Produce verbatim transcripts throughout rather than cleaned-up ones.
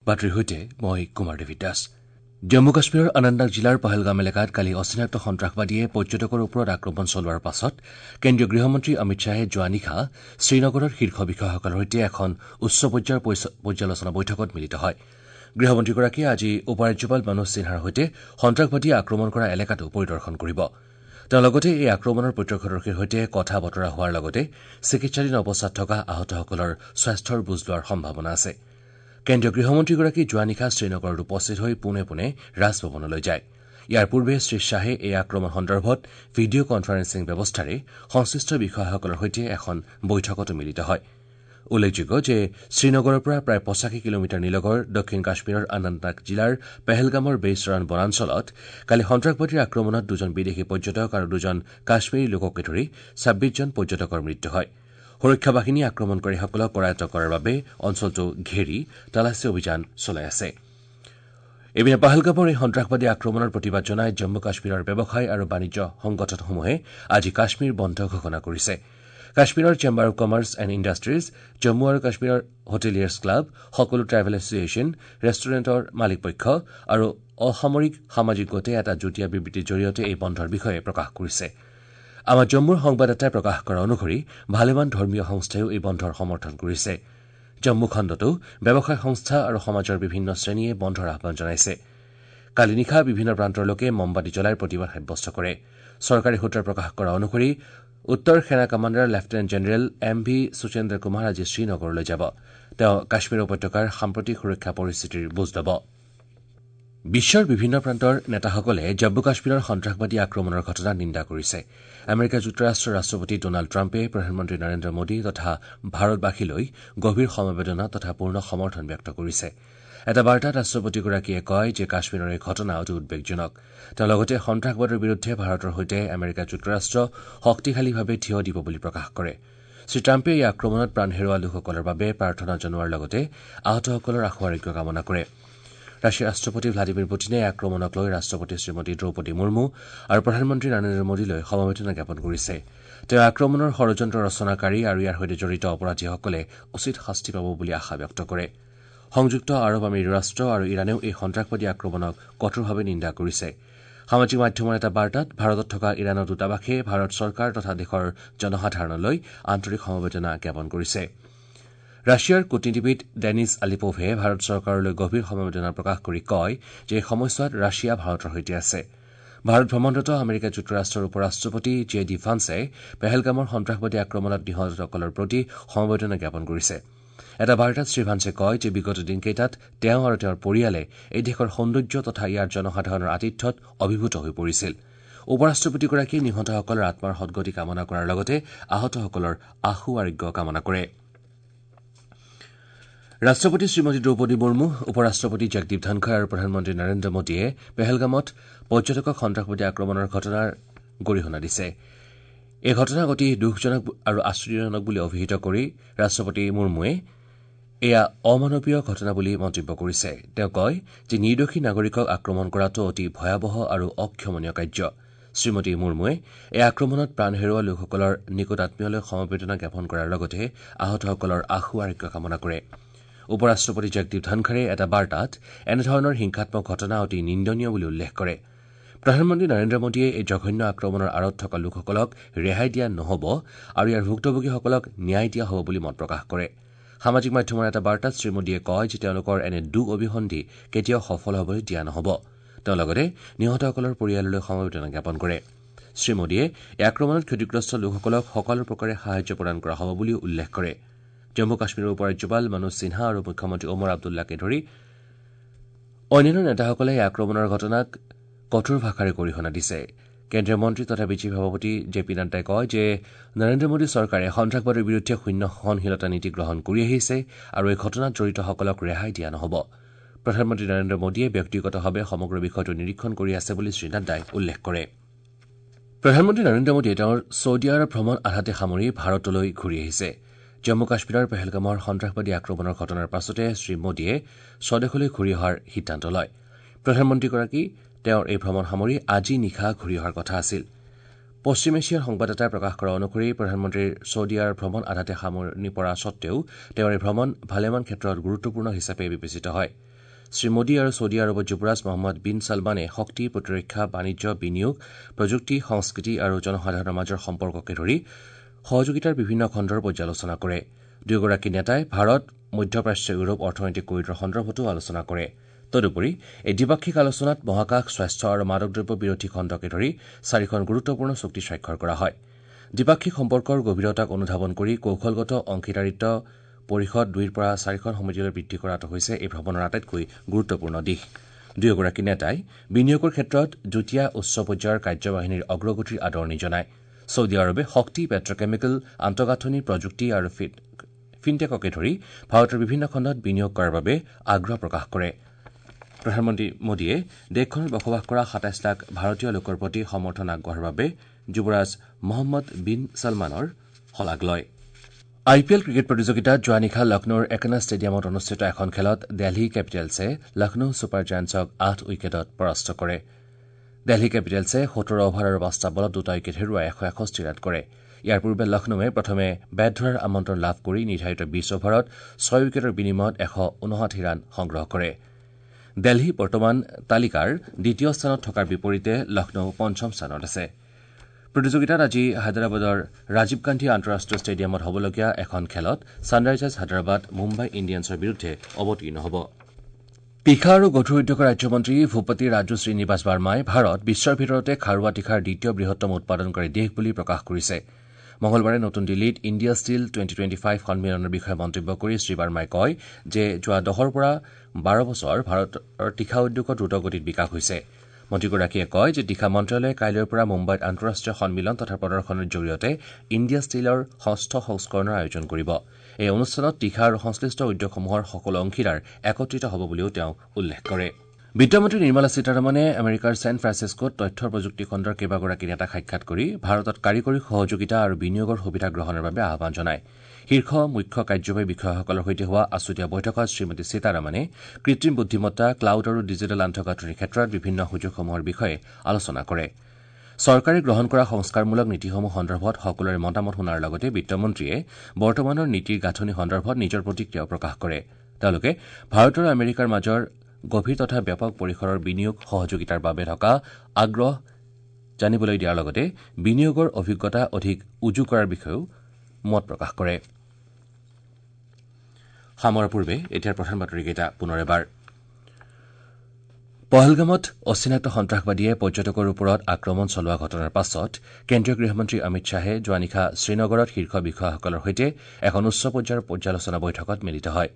বাতৰিৰ সৈতে মই কুমাৰ দেৱী দাস। জম্মু কাশ্মীৰৰ অনন্তনাগ জিলাৰ পহলগাম এলেকাত কালি অচিনাক্ত সন্ত্ৰাসবাদীয়ে পৰ্যটকৰ ওপৰত আক্ৰমণ চলোৱাৰ পাছত কেন্দ্ৰীয় গৃহমন্ত্ৰী অমিত শ্বাহে যোৱা নিশা শ্ৰীনগৰত শীৰ্ষ বিষয়াসকলৰ সৈতে এখন উচ্চ পৰ্যায়ৰ পৰ্যালোচনা বৈঠকত মিলিত হয়। গৃহমন্ত্ৰীগৰাকীয়ে আজি উপ-ৰাজ্যপাল মনোজ সিনহাৰ সৈতে সন্ত্ৰাসবাদীয়ে আক্ৰমণ কৰা এলেকাটো পৰিদৰ্শন কৰিব। তেওঁ লগতে এই আক্ৰমণৰ প্ৰত্যক্ষদৰ্শীৰ সৈতে কথা বতৰা হোৱাৰ লগতে চিকিৎসাধীন অৱস্থাত থকা আহতসকলৰ স্বাস্থ্যৰ বুজ লোৱাৰ সম্ভাৱনা আছে। কেন্দ্ৰীয় গৃহমন্ত্ৰীগৰাকী যোৱা নিশা শ্ৰীনগৰত উপস্থিত হৈ পোনে পোনে ৰাজভৱনলৈ যায়। ইয়াৰ পূৰ্বে শ্ৰীশ্বাহে এই আক্ৰমণ সন্দৰ্ভত ভিডিঅ' কনফাৰেন্সিং ব্যৱস্থাৰে সংশ্লিষ্ট বিষয়াসকলৰ সৈতে এখন বৈঠকতো মিলিত হয়। উল্লেখযোগ্য যে শ্ৰীনগৰৰ পৰা প্ৰায় পঁচাশী কিলোমিটাৰ নিলগৰ দক্ষিণ কাশ্মীৰৰ অনন্তনাগ জিলাৰ পেহেলগামৰ বেইছৰাণ বনাঞ্চলত কালি সন্ত্ৰাসবাদীৰ আক্ৰমণত দুজন বিদেশী পৰ্যটক আৰু দুজন কাশ্মীৰী লোককে ধৰি ছাব্বিছজন পৰ্যটকৰ মৃত্যু হয়। সুৰক্ষা বাহিনীয়ে আক্ৰমণকাৰীসকলক কৰায়ত্ব কৰাৰ বাবে অঞ্চলটো ঘেৰি তালাচী অভিযান চলাই আছে। ইপিনে পহলগামৰ এই সন্ত্ৰাসবাদী আক্ৰমণৰ প্ৰতিবাদ জনাই জম্মু কাশ্মীৰৰ ব্যৱসায় আৰু বাণিজ্য সংগঠনসমূহে আজি কাশ্মীৰ বন্ধ ঘোষণা কৰিছে। কাশ্মীৰৰ chamber of commerce and industries, Jammu আৰু কাশ্মীৰৰ হোটেলিয়াৰ্ছ ক্লাব, সকলো ট্ৰেভেল এছ'চিয়েশ্যন, ৰেষ্টুৰেণ্টৰ মালিকপক্ষ আৰু অসামৰিক সামাজিক গোটে এটা যুটীয়া বিবৃতিৰ জৰিয়তে এই বন্ধৰ বিষয়ে প্ৰকাশ কৰিছে। আমাৰ জম্মুৰ সংবাদদাতাই প্ৰকাশ কৰা অনুসৰি ভালেমান ধৰ্মীয় সংস্থাইও এই বন্ধৰ সমৰ্থন কৰিছে। জম্মু খণ্ডতো ব্যৱসায় সংস্থা আৰু সমাজৰ বিভিন্ন শ্ৰেণীয়ে বন্ধৰ আহ্বান জনাইছে। কালি নিশা বিভিন্ন প্ৰান্তৰ লোকে মমবাতি জ্বলাই প্ৰতিবাদ সাব্যস্ত কৰে। চৰকাৰী সূত্ৰই প্ৰকাশ কৰা অনুসৰি উত্তৰ সেনা commander lieutenant general M V Suchendra Kumar আজি শ্ৰীনগৰলৈ যাব। তেওঁ কাশ্মীৰ উপত্যকাৰ সাম্প্ৰতিক সুৰক্ষা পৰিস্থিতিৰ বুজ ল'ব। বিশ্বৰ বিভিন্ন প্ৰান্তৰ নেতাসকলে জম্মু কাশ্মীৰৰ সন্ত্ৰাসবাদী আক্ৰমণৰ ঘটনাক নিন্দা কৰিছে। আমেৰিকা যুক্তৰাষ্ট্ৰৰ ৰাষ্ট্ৰপতি ডনাল্ড ট্ৰাম্পে প্ৰধানমন্ত্ৰী নৰেন্দ্ৰ মোদী তথা ভাৰতবাসীলৈ গভীৰ সমবেদনা তথা পূৰ্ণ সমৰ্থন ব্যক্ত কৰিছে। এটা বাৰ্তাত ৰাষ্ট্ৰপতিগৰাকীয়ে কয় যে কাশ্মীৰৰ এই ঘটনা অতি উদ্বেগজনক। তেওঁ লগতে সন্ত্ৰাসবাদৰ বিৰুদ্ধে ভাৰতৰ সৈতে আমেৰিকা যুক্তৰাষ্ট্ৰ শক্তিশালীভাৱে থিয় দিব বুলি প্ৰকাশ কৰে। শ্ৰীট্ৰাম্পে এই আক্ৰমণত প্ৰাণ হেৰুওৱা লোকসকলৰ বাবে প্ৰাৰ্থনা জনোৱাৰ লগতে আহতসকলৰ আশু আৰোগ্য কামনা কৰে। ৰাছিয়াৰ ৰাষ্ট্ৰপতি ভ্লাদিমিৰ পুটিনে এই আক্ৰমণক লৈ ৰাষ্ট্ৰপতি শ্ৰীমতী দ্ৰৌপদী মুৰ্মু আৰু প্ৰধানমন্ত্ৰী নৰেন্দ্ৰ মোদীলৈ সমবেদনা জ্ঞাপন কৰিছে। তেওঁ আক্ৰমণৰ ষড়যন্ত্ৰ ৰচনাকাৰী আৰু ইয়াৰ সৈতে জড়িত অপৰাধীসকলে উচিত শাস্তি পাব বুলি আশা ব্যক্ত কৰে। সংযুক্ত আৰৱ আমিৰি ৰাষ্ট্ৰ আৰু ইৰাণেও এই সন্ত্ৰাসবাদী আক্ৰমণক কঠোৰভাৱে নিন্দা কৰিছে। সামাজিক মাধ্যমৰ এটা বাৰ্তাত ভাৰতত থকা ইৰাণৰ দূতাবাসে ভাৰত চৰকাৰ তথা দেশৰ জনসাধাৰণলৈ আন্তৰিক সমবেদনা জ্ঞাপন কৰিছে। ৰাছিয়াৰ কূটনীতিবিদ ডেনিছ আলিপোভে ভাৰত চৰকাৰলৈ গভীৰ সমবেদনা প্ৰকাশ কৰি কয় যে এই সময়ছোৱাত ৰাছিয়া ভাৰতৰ সৈতে আছে। ভাৰত ভ্ৰমণৰত আমেৰিকা যুক্তৰাষ্ট্ৰৰ উপ-ৰাষ্ট্ৰপতি জে ডি ভান্সে পেহেলগামৰ সন্ত্ৰাসবাদী আক্ৰমণত নিহতসকলৰ প্ৰতি সমবেদনা জ্ঞাপন কৰিছে। এটা বাৰ্তাত শ্ৰীভান্সে কয় যে বিগত দিনকেইটাত তেওঁ আৰু তেওঁৰ পৰিয়ালে এই দেশৰ সৌন্দৰ্য তথা ইয়াৰ জনসাধাৰণৰ আতিথ্যত অভিভূত হৈ পৰিছিল। উপ-ৰাষ্ট্ৰপতিগৰাকীয়ে নিহতসকলৰ আত্মাৰ সদগতি কামনা কৰাৰ লগতে আহতসকলৰ আশু আৰোগ্য কামনা কৰে। ৰাষ্ট্ৰপতি শ্ৰীমতী দ্ৰৌপদী মুৰ্মু, উপ-ৰাষ্ট্ৰপতি জগদীপ ধনখৰ আৰু প্ৰধানমন্ত্ৰী নৰেন্দ্ৰ মোদীয়ে পেহেলগামত পৰ্যটকক সন্ত্ৰাসবাদী আক্ৰমণৰ ঘটনাৰ গৰিহণা দিছে। এই ঘটনাক অতি দুখজনক আৰু আশ্চৰ্যজনক বুলি অভিহিত কৰি ৰাষ্ট্ৰপতি মুৰ্মুৱে এয়া অমানৱীয় ঘটনা বুলি মন্তব্য কৰিছে। তেওঁ কয় যে নিৰ্দোষী নাগৰিকক আক্ৰমণ কৰাটো অতি ভয়াৱহ আৰু অক্ষমনীয় কাৰ্য। শ্ৰীমতী মুৰ্মুৱে এই আক্ৰমণত প্ৰাণ হেৰুওৱা লোকসকলৰ নিকট আত্মীয়লৈ সমবেদনা জ্ঞাপন কৰাৰ লগতে আহতসকলৰ আশু আৰোগ্য কামনা কৰে। উপ-ৰাষ্ট্ৰপতি জগদীপ ধনখৰে এটা বাৰ্তাত এনেধৰণৰ হিংসাত্মক ঘটনা অতি নিন্দনীয় বুলি উল্লেখ কৰে। প্ৰধানমন্ত্ৰী নৰেন্দ্ৰ মোদীয়ে এই জঘন্য আক্ৰমণৰ আঁৰত থকা লোকসকলক ৰেহাই দিয়া নহ'ব আৰু ইয়াৰ ভুক্তভোগীসকলক ন্যায় দিয়া হ'ব বুলি মত প্ৰকাশ কৰে। সামাজিক মাধ্যমৰ এটা বাৰ্তাত শ্ৰীমোদীয়ে কয় যে তেওঁলোকৰ এনে দুখ অভিসন্ধি কেতিয়াও সফল হ'বলৈ দিয়া নহ'ব। তেওঁ লগতে নিহতসকলৰ পৰিয়াললৈ সমবেদনা জ্ঞাপন কৰে। শ্ৰীমোদীয়ে এই আক্ৰমণত ক্ষতিগ্ৰস্ত লোকসকলক সকলো প্ৰকাৰে সাহায্য প্ৰদান কৰা হ'ব বুলিও উল্লেখ কৰে। জম্মু কাশ্মীৰৰ উপ-ৰাজ্যপাল মনোজ সিনহা আৰু মুখ্যমন্ত্ৰী ওমৰ আব্দুল্লাকে ধৰি অন্যান্য নেতাসকলে এই আক্ৰমণৰ ঘটনাক কঠোৰ ভাষাৰে গৰিহণা দিছে। কেন্দ্ৰীয় মন্ত্ৰী তথা বিজেপি সভাপতি জে পি নাড্ডাই কয় যে নৰেন্দ্ৰ মোদী চৰকাৰে সন্ত্ৰাসবাদৰ বিৰুদ্ধে শূন্য সহনশীলতা নীতি গ্ৰহণ কৰি আহিছে আৰু এই ঘটনাত জড়িতসকলক ৰেহাই দিয়া নহ'ব। প্ৰধানমন্ত্ৰী নৰেন্দ্ৰ মোদীয়ে ব্যক্তিগতভাৱে সমগ্ৰ বিষয়টো নিৰীক্ষণ কৰি আছে বুলি শ্ৰীনাড্ডাই উল্লেখ কৰে। প্ৰধানমন্ত্ৰী নৰেন্দ্ৰ মোদীয়ে তেওঁৰ ছৌদি আৰৱ ভ্ৰমণ আধাতে সামৰি ভাৰতলৈ ঘূৰি আহিছে। জম্মু কাশ্মীৰৰ পেহেলগামৰ সন্ত্ৰাসবাদী আক্ৰমণৰ ঘটনাৰ পাছতে শ্ৰীমোদীয়ে স্বদেশলৈ ঘূৰি অহাৰ সিদ্ধান্ত লয়। প্ৰধানমন্ত্ৰীগৰাকী তেওঁৰ এই ভ্ৰমণ সামৰি আজি নিশা ঘূৰি অহাৰ কথা আছিল। পশ্চিম এছিয়াৰ সংবাদদাতাই প্ৰকাশ কৰা অনুসৰি প্ৰধানমন্ত্ৰীৰ ছৌদি আৰৱ ভ্ৰমণ আধাতে সামৰণি পৰা সত্বেও তেওঁৰ এই ভ্ৰমণ ভালেমান ক্ষেত্ৰত গুৰুত্বপূৰ্ণ হিচাপে বিবেচিত হয়। শ্ৰীমোদী আৰু ছৌদি আৰৱৰ যুৱৰাজ মহম্মদ বিন ছলমানে শক্তি, প্ৰতিৰক্ষা, বাণিজ্য, বিনিয়োগ, প্ৰযুক্তি, সংস্কৃতি আৰু জনসাধাৰণৰ মাজৰ সম্পৰ্ককে ধৰি সহযোগিতাৰ বিভিন্ন খণ্ডৰ পৰ্যালোচনা কৰে। দুয়োগৰাকী নেতাই ভাৰত মধ্যপ্ৰাচ্য ইউৰোপ অৰ্থনৈতিক কৰিডৰ সন্দৰ্ভতো আলোচনা কৰে। তদুপৰি এই দ্বিপাক্ষিক আলোচনাত মহাকাশ, স্বাস্থ্য আৰু মাদক দ্ৰব্য বিৰোধী খণ্ডকে ধৰি চাৰিখন গুৰুত্বপূৰ্ণ চুক্তি স্বাক্ষৰ কৰা হয়। দ্বিপাক্ষিক সম্পৰ্কৰ গভীৰতাক অনুধাৱন কৰি কৌশলগত অংশীদাৰিত্ব পৰিষদ দুইৰ পৰা চাৰিখন সমিতিলৈ বৃদ্ধি কৰাটো হৈছে এই ভ্ৰমণৰ আটাইতকৈ গুৰুত্বপূৰ্ণ দিশ। দুয়োগৰাকী নেতাই বিনিয়োগৰ ক্ষেত্ৰত যুটীয়া উচ্চ পৰ্যায়ৰ কাৰ্যবাহিনীৰ অগ্ৰগতিৰ আদৰণি জনায়। ছৌদি আৰবে শক্তি, পেট্ৰকেমিকেল, আন্তঃগাঁথনি, প্ৰযুক্তি আৰু ফিনটেককে ধৰি ভাৰতৰ বিভিন্ন খণ্ডত বিনিয়োগ কৰাৰ বাবে আগ্ৰহ প্ৰকাশ কৰে। প্ৰধানমন্ত্ৰী মোদীয়ে দেশখনত বসবাস কৰা সাতাইছ লাখ ভাৰতীয় লোকৰ প্ৰতি সমৰ্থন আগবঢ়োৱাৰ বাবে যুৱৰাজ মহম্মদ বিন ছলমানৰ শলাগ লয়। আই পি এল ক্ৰিকেট প্ৰতিযোগিতাত যোৱা নিশা লক্ষ্ণৌৰ একনা ষ্টেডিয়ামত অনুষ্ঠিত এখন খেলত দেলহি কেপিটেলছে লক্ষ্ণৌ ছুপাৰ জায়েণ্টছক আঠ উইকেটত পৰাস্ত কৰে। দেলহি কেপিটেলছে সোতৰ অভাৰ আৰু পাঁচটা বলত দুটা উইকেট হেৰুৱাই এশ এষষ্ঠি ৰান কৰে। ইয়াৰ পূৰ্বে লক্ষ্ণৌৱে প্ৰথমে বেট ধৰাৰ আমন্ত্ৰণ লাভ কৰি নিৰ্ধাৰিত বিছ অভাৰত ছয় উইকেটৰ বিনিময়ত এশ ঊনষাঠি ৰান সংগ্ৰহ কৰে। দেলহি বৰ্তমান তালিকাৰ দ্বিতীয় স্থানত থকাৰ বিপৰীতে লক্ষ্ণৌ পঞ্চম স্থানত আছে। প্ৰতিযোগিতাত আজি হায়দৰাবাদৰ ৰাজীৱ গান্ধী আন্তঃৰাষ্ট্ৰীয় ষ্টেডিয়ামত হ'বলগীয়া এখন খেলত ছানৰাইজাৰ্ছ হায়দৰাবাদ মুম্বাই ইণ্ডিয়ানছৰ বিৰুদ্ধে অৱতীৰ্ণ হ'ব। তীখা আৰু গধুৰ উদ্যোগৰ ৰাজ্যমন্ত্ৰী ভূপতি ৰাজু শ্ৰীনিবাস বাৰ্মাই ভাৰত বিশ্বৰ ভিতৰতে খাৰুৱা তীখাৰ দ্বিতীয় বৃহত্তম উৎপাদনকাৰী দেশ বুলি প্ৰকাশ কৰিছে। মঙলবাৰে নতুন দিল্লীত India steel twenty twenty five সন্মিলনৰ বিষয়ে মন্তব্য কৰি শ্ৰীবাৰ্মাই কয় যে যোৱা দহৰ পৰা বাৰ বছৰ ভাৰতৰ তীখা উদ্যোগত দ্ৰুতগতিত বিকাশ হৈছে। মন্ত্ৰীগৰাকীয়ে কয় যে তীখা মন্ত্ৰালয়ে কাইলৈৰ পৰা মুম্বাইত আন্তঃৰাষ্ট্ৰীয় সন্মিলন তথা প্ৰদৰ্শনৰ জৰিয়তে ইণ্ডিয়া ষ্টীলৰ ষষ্ঠ সংস্কৰণৰ আয়োজন কৰিব। এই অনুষ্ঠানত তীখা আৰু সংশ্লিষ্ট উদ্যোগসমূহৰ সকলো অংশীদাৰ একত্ৰিত হ'ব বুলিও তেওঁ উল্লেখ কৰে। বিত্তমন্ত্ৰী নিৰ্মলা সীতাৰমণে আমেৰিকাৰ ছেন ফ্ৰান্সিস্কোত তথ্য প্ৰযুক্তি খণ্ডৰ কেইবাগৰাকী নেতাক সাক্ষাৎ কৰি ভাৰতত কাৰিকৰী সহযোগিতা আৰু বিনিয়োগৰ সুবিধা গ্ৰহণৰ বাবে আহ্বান জনায়। শীৰ্ষ মুখ্য কাৰ্যবাহী বিষয়াসকলৰ সৈতে হোৱা আছুতীয়া বৈঠকত শ্ৰীমতী সীতাৰমণে কৃত্ৰিম বুদ্ধিমত্তা, ক্লাউড আৰু ডিজিটেল আন্তঃগাঁথনিৰ ক্ষেত্ৰত বিভিন্ন সুযোগসমূহৰ বিষয়ে আলোচনা কৰে। চৰকাৰে গ্ৰহণ কৰা সংস্কাৰমূলক নীতিসমূহ সন্দৰ্ভত সকলোৰে মতামত শুনাৰ লগতে বিত্তমন্ত্ৰীয়ে বৰ্তমানৰ নীতিৰ গাঁথনি সন্দৰ্ভত নিজৰ প্ৰতিক্ৰিয়াও প্ৰকাশ কৰে। তেওঁলোকে ভাৰত আৰু আমেৰিকাৰ মাজৰ গভীৰ তথা ব্যাপক পৰিসৰৰ বিনিয়োগ সহযোগিতাৰ বাবে থকা আগ্ৰহ জানিবলৈ দিয়াৰ লগতে বিনিয়োগৰ অভিজ্ঞতা অধিক উজু কৰাৰ বিষয়েও মত প্ৰকাশ কৰে। সামৰাৰ পূৰ্বে এতিয়াৰ প্ৰধান বাতৰিকেইটা পুনৰ এবাৰ। পহলগামত অচিনাক্ত সন্ত্ৰাসবাদীয়ে পৰ্যটকৰ ওপৰত আক্ৰমণ চলোৱা ঘটনাৰ পাছত কেন্দ্ৰীয় গৃহমন্ত্ৰী অমিত শ্বাহে যোৱা নিশা শ্ৰীনগৰত শীৰ্ষ বিষয়াসকলৰ সৈতে এখন উচ্চ পৰ্যায়ৰ পৰ্যালোচনা বৈঠকত মিলিত হয়।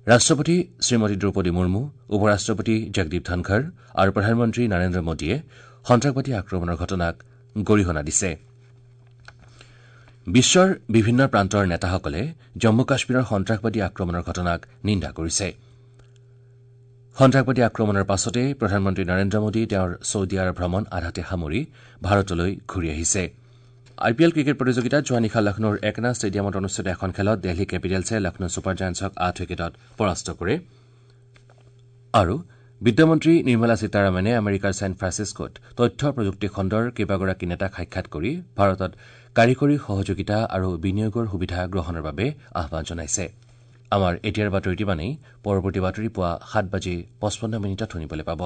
ৰাষ্ট্ৰপতি শ্ৰীমতী দ্ৰৌপদী মুৰ্মু, উপ ৰাষ্ট্ৰপতি জগদীপ ধনখৰ আৰু প্ৰধানমন্ত্ৰী নৰেন্দ্ৰ মোদীয়ে সন্ত্ৰাসবাদী আক্ৰমণৰ ঘটনাক গৰিহণা দিছে। বিশ্বৰ বিভিন্ন প্ৰান্তৰ নেতাসকলে জম্মু কাশ্মীৰৰ সন্ত্ৰাসবাদী আক্ৰমণৰ ঘটনাক নিন্দা কৰিছে। সন্ত্ৰাসবাদী আক্ৰমণৰ পাছতে প্ৰধানমন্ত্ৰী নৰেন্দ্ৰ মোদী তেওঁৰ ছৌদি আৰৱ ভ্ৰমণ আধাতে সামৰি ভাৰতলৈ ঘূৰি আহিছে। আই পি এল ক্ৰিকেট প্ৰতিযোগিতাত যোৱা নিশা লক্ষ্ণৌৰ একনা ষ্টেডিয়ামত অনুষ্ঠিত এখন খেলত দেলহি কেপিটেলছে লক্ষ্ণৌ ছুপাৰ জায়েণ্টছক আঠ উইকেটত পৰাস্ত কৰে। আৰু বিত্তমন্ত্ৰী নিৰ্মলা সীতাৰমণে আমেৰিকাৰ ছেন ফ্ৰান্সিস্কোত তথ্য প্ৰযুক্তি খণ্ডৰ কেইবাগৰাকী নেতাক সাক্ষাৎ কৰি ভাৰতত কাৰিকৰী সহযোগিতা আৰু বিনিয়োগৰ সুবিধা গ্ৰহণৰ বাবে আহ্বান জনাইছে। আমাৰ এতিয়াৰ বাতৰিটো ইমানেই। পৰৱৰ্তী বাতৰি পুৱা সাত বাজি পঁচপন্ন মিনিটত শুনিবলৈ পাব।